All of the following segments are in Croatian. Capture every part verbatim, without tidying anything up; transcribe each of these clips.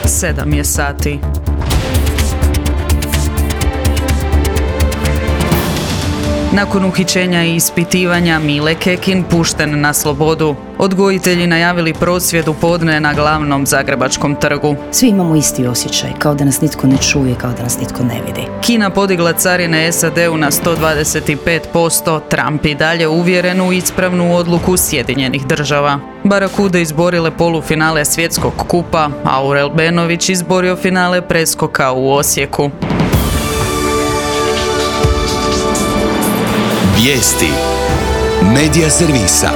Sedam je sati. Nakon uhićenja i ispitivanja Mile Kekin pušten na slobodu. Odgojitelji najavili prosvjed u podne na glavnom zagrebačkom trgu. Svi imamo isti osjećaj, kao da nas nitko ne čuje, kao da nas nitko ne vidi. Kina podigla carine es a de u na sto dvadeset pet posto, Trump i dalje uvjeren u ispravnu odluku Sjedinjenih država. Barakude izborile polufinale svjetskog kupa, Aurel Benović izborio finale preskoka u Osijeku. Vijesti Medija servisa.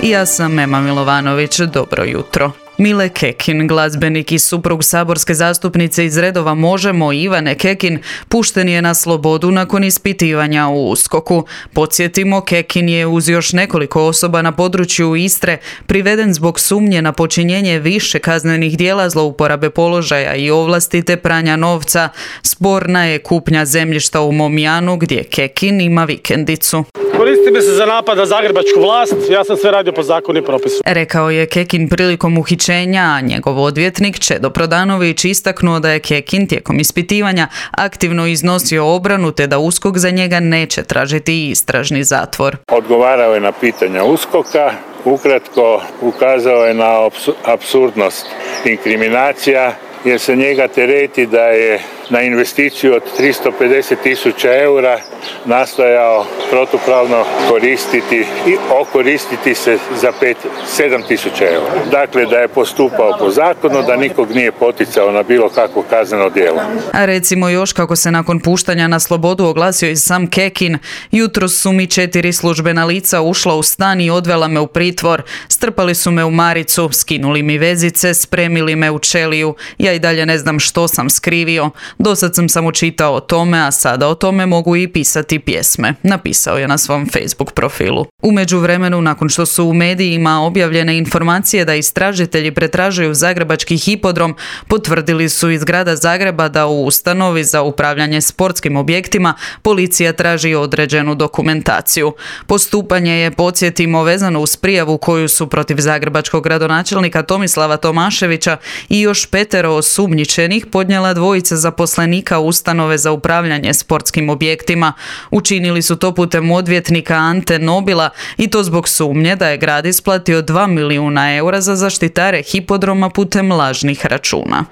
Ja sam Ema Milovanović, dobro jutro. Mile Kekin, glazbenik i suprug saborske zastupnice iz redova Možemo Ivane Kekin, pušten je na slobodu nakon ispitivanja u uskoku. Podsjetimo, Kekin je uz još nekoliko osoba na području Istre priveden zbog sumnje na počinjenje više kaznenih djela zlouporabe položaja i ovlasti te pranja novca. Sporna je kupnja zemljišta u Momjanu gdje Kekin ima vikendicu. Koristi me se za napad na zagrebačku vlast, ja sam sve radio po zakonu i propisu. Rekao je Kekin prilikom uhićenja, a njegov odvjetnik Čedo Prodanović istaknuo da je Kekin tijekom ispitivanja aktivno iznosio obranu te da USKOK za njega neće tražiti istražni zatvor. Odgovarao je na pitanja uskoka, ukratko ukazao je na apsurdnost inkriminacija jer se njega tereti da je na investiciju od tristo pedeset tisuća eura nastojao protupravno koristiti i okoristiti se za pet, sedam tisuća eura. Dakle, da je postupao po zakonu, da nikog nije poticao na bilo kakvo kazneno djelo. A recimo još kako se nakon puštanja na slobodu oglasio i sam Kekin, jutros su mi četiri službena lica ušla u stan i odvela me u pritvor. Strpali su me u maricu, skinuli mi vezice, spremili me u čeliju. Ja i dalje ne znam što sam skrivio. Dosad sam samo čitao o tome, a sada o tome mogu i pisati pjesme, napisao je na svom Facebook profilu. U međuvremenu, nakon što su u medijima objavljene informacije da istražitelji pretražuju zagrebački hipodrom, potvrdili su iz grada Zagreba da u ustanovi za upravljanje sportskim objektima policija traži određenu dokumentaciju. Postupanje je, podsjetimo, vezano uz prijavu koju su protiv zagrebačkog gradonačelnika Tomislava Tomaševića i još petero osumnjičenih podnijela dvojica zaposlenika ustanove za upravljanje sportskim objektima. Učinili su to putem odvjetnika Ante Nobila i to zbog sumnje da je grad isplatio dva milijuna eura za zaštitare hipodroma putem lažnih računa.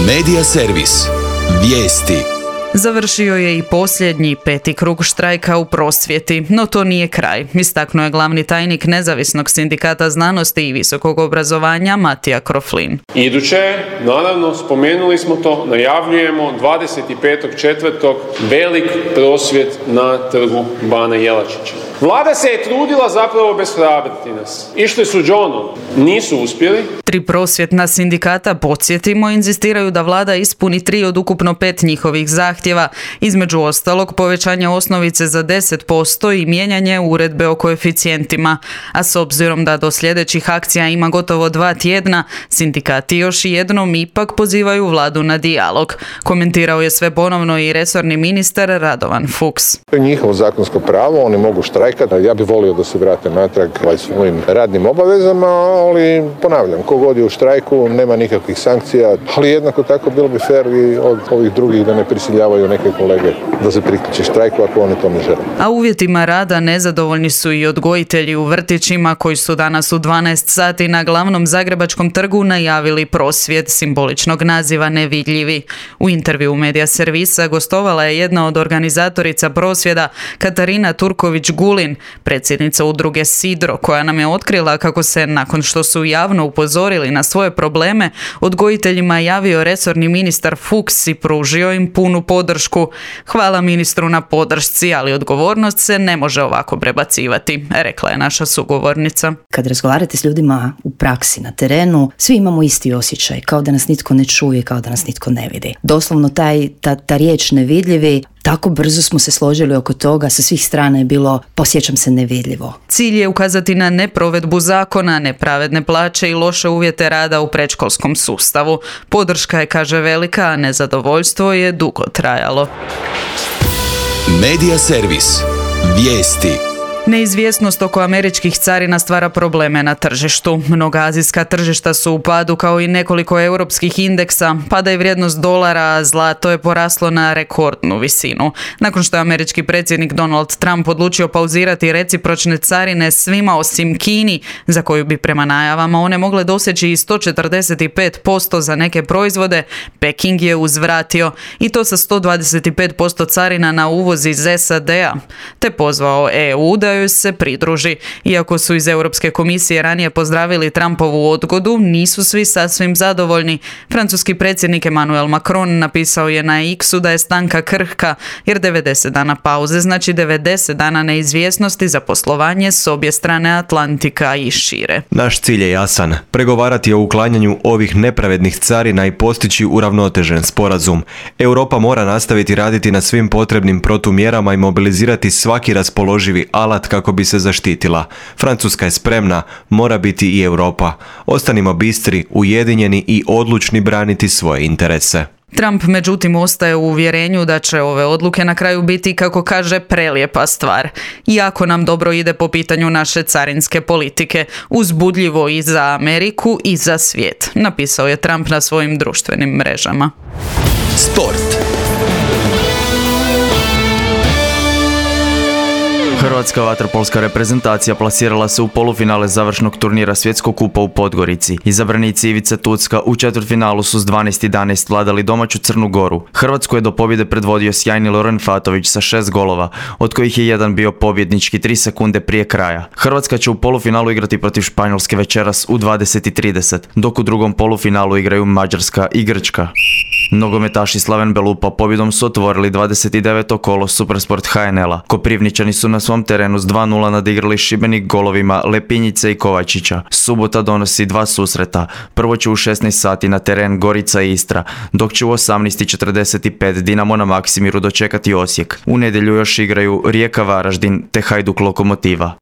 Medija servis. Vijesti. Završio je i posljednji peti krug štrajka u prosvjeti, no to nije kraj, istaknuo je glavni tajnik Nezavisnog sindikata znanosti i visokog obrazovanja Matija Kroflin. Iduće, naravno, spomenuli smo to, najavljujemo dvadeset petog četvrtog velik prosvjed na trgu Bana Jelačića. Vlada se je trudila zapravo obeshrabriti nas. Išli su džonom, nisu uspjeli. Tri prosvjetna sindikata, podsjetimo, inzistiraju da vlada ispuni tri od ukupno pet njihovih zahtjeva, između ostalog povećanje osnovice za deset posto i mijenjanje uredbe o koeficijentima. A s obzirom da do sljedećih akcija ima gotovo dva tjedna, sindikati još jednom ipak pozivaju vladu na dijalog. Komentirao je sve ponovno i resorni ministar Radovan Fuchs. To je njihovo zakonsko pravo, oni mogu štrajkati. Ja bih volio da se vrate natrag svojim radnim obavezama, ali ponavljam, kogod je u štrajku nema nikakvih sankcija, ali jednako tako bilo bi fair i od ovih drugih da ne prisiljavaju neke kolege da se priključe štrajku ako oni to ne žele. A uvjetima rada nezadovoljni su i odgojitelji u vrtićima koji su danas u dvanaest sati na glavnom zagrebačkom trgu najavili prosvjed simboličnog naziva Nevidljivi. U intervju Medija servisa gostovala je jedna od organizatorica prosvjeda, Katarina Turković-Gulin, predsjednica udruge Sidro, koja nam je otkrila kako se, nakon što su javno upozorili na svoje probleme, odgojiteljima javio resorni ministar Fuchs i pružio im punu podršku. Hvala ministru na podršci, ali odgovornost se ne može ovako prebacivati, rekla je naša sugovornica. Kad razgovarate s ljudima u praksi, na terenu, svi imamo isti osjećaj, kao da nas nitko ne čuje, kao da nas nitko ne vidi. Doslovno taj, ta, ta riječ nevidljivi, tako brzo smo se složili oko toga, sa svih strana je bilo posjećam se nevidljivo. Cilj je ukazati na neprovedbu zakona, nepravedne plaće i loše uvjete rada u predškolskom sustavu. Podrška je, kaže, velika, a nezadovoljstvo je dugo trajalo. Medija servis. Vijesti. Neizvjesnost oko američkih carina stvara probleme na tržištu. Mnoga azijska tržišta su u padu kao i nekoliko europskih indeksa, pada i vrijednost dolara, a zlato je poraslo na rekordnu visinu. Nakon što je američki predsjednik Donald Trump odlučio pauzirati recipročne carine svima osim Kini, za koju bi prema najavama one mogle doseći i sto četrdeset pet posto za neke proizvode, Peking je uzvratio i to sa sto dvadeset pet posto carina na uvoz iz S A D-a, te pozvao E U da joj se pridruži. Iako su iz Europske komisije ranije pozdravili Trumpovu odgodu, nisu svi sasvim zadovoljni. Francuski predsjednik Emmanuel Macron napisao je na X-u da je stanka krhka, jer devedeset dana pauze znači devedeset dana neizvjesnosti za poslovanje s obje strane Atlantika i šire. Naš cilj je jasan, pregovarati o uklanjanju ovih nepravednih carina i postići uravnotežen sporazum. Europa mora nastaviti raditi na svim potrebnim protumjerama i mobilizirati svaki raspoloživi alat kako bi se zaštitila. Francuska je spremna, mora biti i Europa. Ostanimo bistri, ujedinjeni i odlučni braniti svoje interese. Trump međutim ostaje u uvjerenju da će ove odluke na kraju biti, kako kaže, prelijepa stvar. Iako nam dobro ide po pitanju naše carinske politike, uzbudljivo i za Ameriku i za svijet, napisao je Trump na svojim društvenim mrežama. Sport. Hrvatska vaterpolska reprezentacija plasirala se u polufinale završnog turnira Svjetskog kupa u Podgorici. Izabranici Ivice Tucka u četvrtfinalu su s dvanaest jedanaest vladali domaću Crnu Goru. Hrvatsku je do pobjede predvodio sjajni Loren Fatović sa šest golova, od kojih je jedan bio pobjednički tri sekunde prije kraja. Hrvatska će u polufinalu igrati protiv Španjolske večeras u dvadeset i trideset, dok u drugom polufinalu igraju Mađarska i Grčka. Nogometaši Slaven Belupa pobjedom su otvorili dvadeset deveto kolo Supersport H N L-a. Koprivničani su na svom terenu s dva nula nadigrali Šibenik golovima Lepinjice i Kovačića. Subota donosi dva susreta. Prvo će u šesnaest sati na teren Gorica i Istra, dok će u osamnaest četrdeset pet Dinamo na Maksimiru dočekati Osijek. U nedjelju još igraju Rijeka Varaždin te Hajduk Lokomotiva.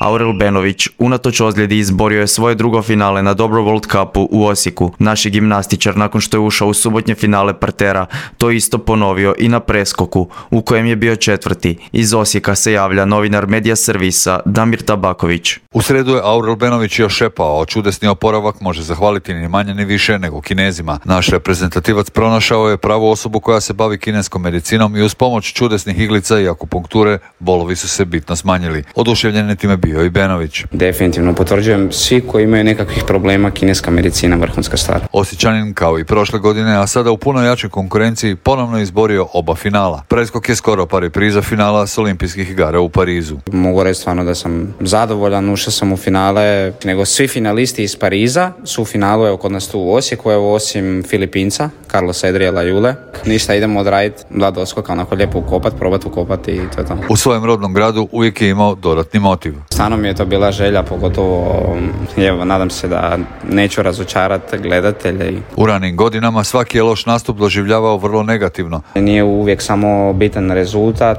Aurel Benović unatoč ozljedi izborio je svoje drugo finale na Dobro World Cupu u Osijeku. Naši gimnastičar, nakon što je ušao u subotnje finale partera, to isto ponovio i na preskoku, u kojem je bio četvrti. Iz Osijeka se javlja novinar Medija Servisa Damir Tabaković. U sredu je Aurel Benović još šepao, a čudesni oporavak može zahvaliti ni manje ni više nego Kinezima. Naš reprezentativac pronašao je pravu osobu koja se bavi kineskom medicinom i uz pomoć čudesnih iglica i akupunkture bolovi su se bitno smanjili. Oduševljen je time bio i Benović. Definitivno potvrđujem, svi koji imaju nekakvih problema, kineska medicina vrhunska stvar. Osječanin kao i prošle godine, a sada u puno jačoj konkurenciji, ponovno izborio oba finala. Preskok je skoro pa repriza finala s olimpijskih igara u Parizu. Mogu reći stvarno da sam zadovoljan, ušao sam u finale, nego svi finalisti iz Pariza su u finalu, evo kod nas tu u Osijeku, evo osim Filipinca, Carlos Edriela Jule. Ništa, idemo odraditi dva doskoka, onako lijepo ukopat, probati ukopati i to je to. U svojem rodnom gradu uvijek je imao dodatni motiv. Stvarno mi je to bila želja, pogotovo, evo, nadam se da neću razočarati gledatelje. U ranim godinama svaki je loš nastup doživljavao vrlo negativno. Nije uvijek samo bitan rezultat,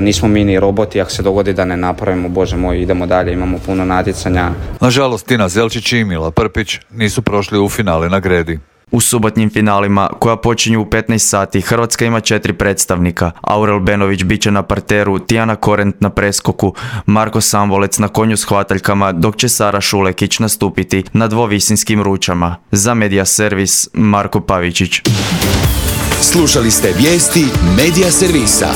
nismo mi ni roboti, ako se dogodi da ne napravimo, bože moj, idemo dalje, imamo puno natjecanja. Nažalost, Tina Zelčić i Mila Prpić nisu prošli u finale na gredi. U subotnjim finalima, koja počinju u petnaest sati, Hrvatska ima četiri predstavnika. Aurel Benović bit će na parteru, Tijana Korent na preskoku, Marko Sambolec na konju s hvataljkama, dok će Sara Šulekić nastupiti na dvovisinskim ručama. Za Medija Servis, Marko Pavičić. Slušali ste vijesti Medija Servisa.